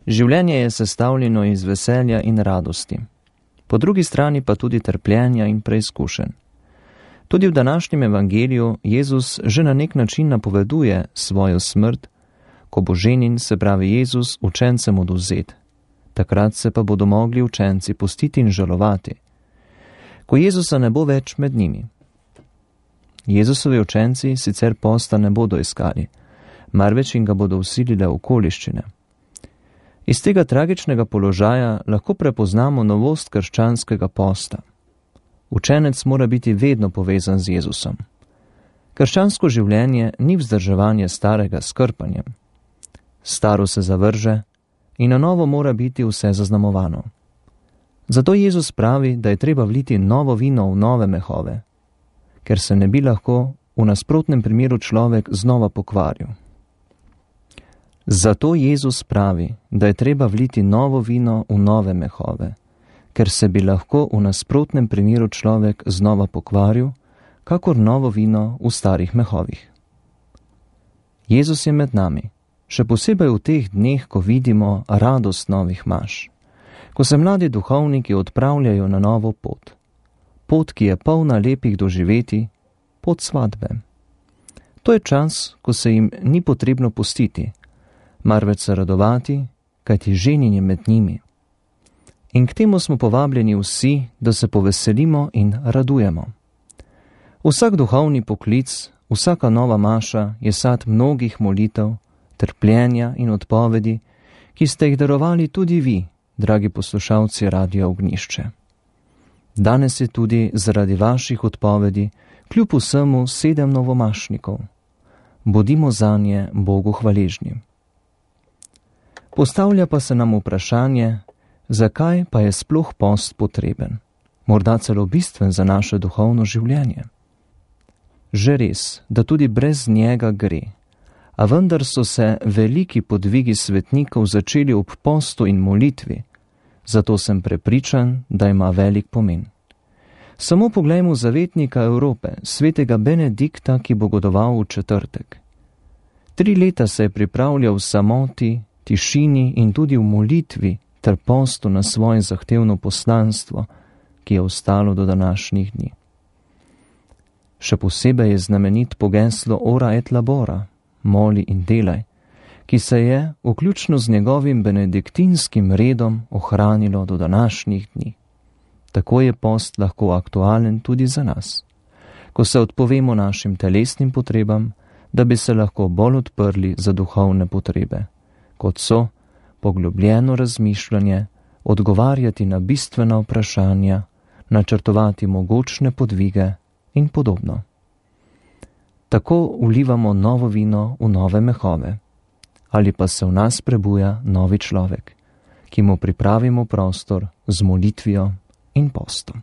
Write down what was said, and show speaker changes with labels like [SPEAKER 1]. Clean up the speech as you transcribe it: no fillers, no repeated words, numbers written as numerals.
[SPEAKER 1] Življenje je sestavljeno iz veselja in radosti, po drugi strani pa tudi trpljenja in preizkušenj. Tudi v današnjem evangeliju Jezus že na nek način napoveduje svojo smrt, ko bo ženin, se pravi Jezus, učencem odvzet. Takrat se pa bodo mogli učenci pustiti in žalovati, ko Jezusa ne bo več med njimi. Jezusovi učenci sicer posta ne bodo iskali, marveč jim ga bodo vsilile okoliščine. Iz tega tragičnega položaja lahko prepoznamo novost krščanskega posta. Učenec mora biti vedno povezan z Jezusom. Krščansko življenje ni vzdrževanje starega s krpanjem. Staro se zavrže in na novo mora biti vse zaznamovano. Zato Jezus pravi, da je treba vliti novo vino v nove mehove, ker se ne bi lahko v nasprotnem primeru človek znova pokvaril. Zato Jezus pravi, da je treba vliti novo vino v nove mehove, ker se bi lahko v nasprotnem primeru človek znova pokvaril, kakor novo vino v starih mehovih. Jezus je med nami, še posebej v teh dneh, ko vidimo radost novih maš, ko se mladi duhovniki odpravljajo na novo pot. Pot, ki je polna lepih doživeti, pot svatbe. To je čas, ko se jim ni potrebno pustiti, marveč se radovati, kajti ženin je med njimi. In k temu smo povabljeni vsi, da se poveselimo in radujemo. Vsak duhovni poklic, vsaka nova maša je sad mnogih molitev, trpljenja in odpovedi, ki ste jih darovali tudi vi, dragi poslušalci Radia Ognjišče. Danes je tudi zaradi vaših odpovedi kljub vsemu 7 novomašnikov. Bodimo zanje Bogu hvaležni. Postavlja pa se nam vprašanje, zakaj pa je sploh post potreben, morda celo bistven za naše duhovno življenje. Že res, da tudi brez njega gre, a vendar so se veliki podvigi svetnikov začeli ob postu in molitvi, zato sem prepričan, da ima velik pomen. Samo poglejmo zavetnika Evrope, svetega Benedikta, ki bo godoval v četrtek. 3 leta se je pripravljal v samoti, tišini in tudi v molitvi ter postu na svoje zahtevno poslanstvo, ki je ostalo do današnjih dni. Še posebej je znamenit pogeslo Ora et labora, moli in delaj, ki se je, vključno z njegovim benediktinskim redom, ohranilo do današnjih dni. Tako je post lahko aktualen tudi za nas, ko se odpovemo našim telesnim potrebam, da bi se lahko bolj odprli za duhovne potrebe, kot so poglobljeno razmišljanje, odgovarjati na bistvena vprašanja, načrtovati mogočne podvige in podobno. Tako vlivamo novo vino v nove mehove, ali pa se v nas prebuja novi človek, ki mu pripravimo prostor z molitvijo in postom.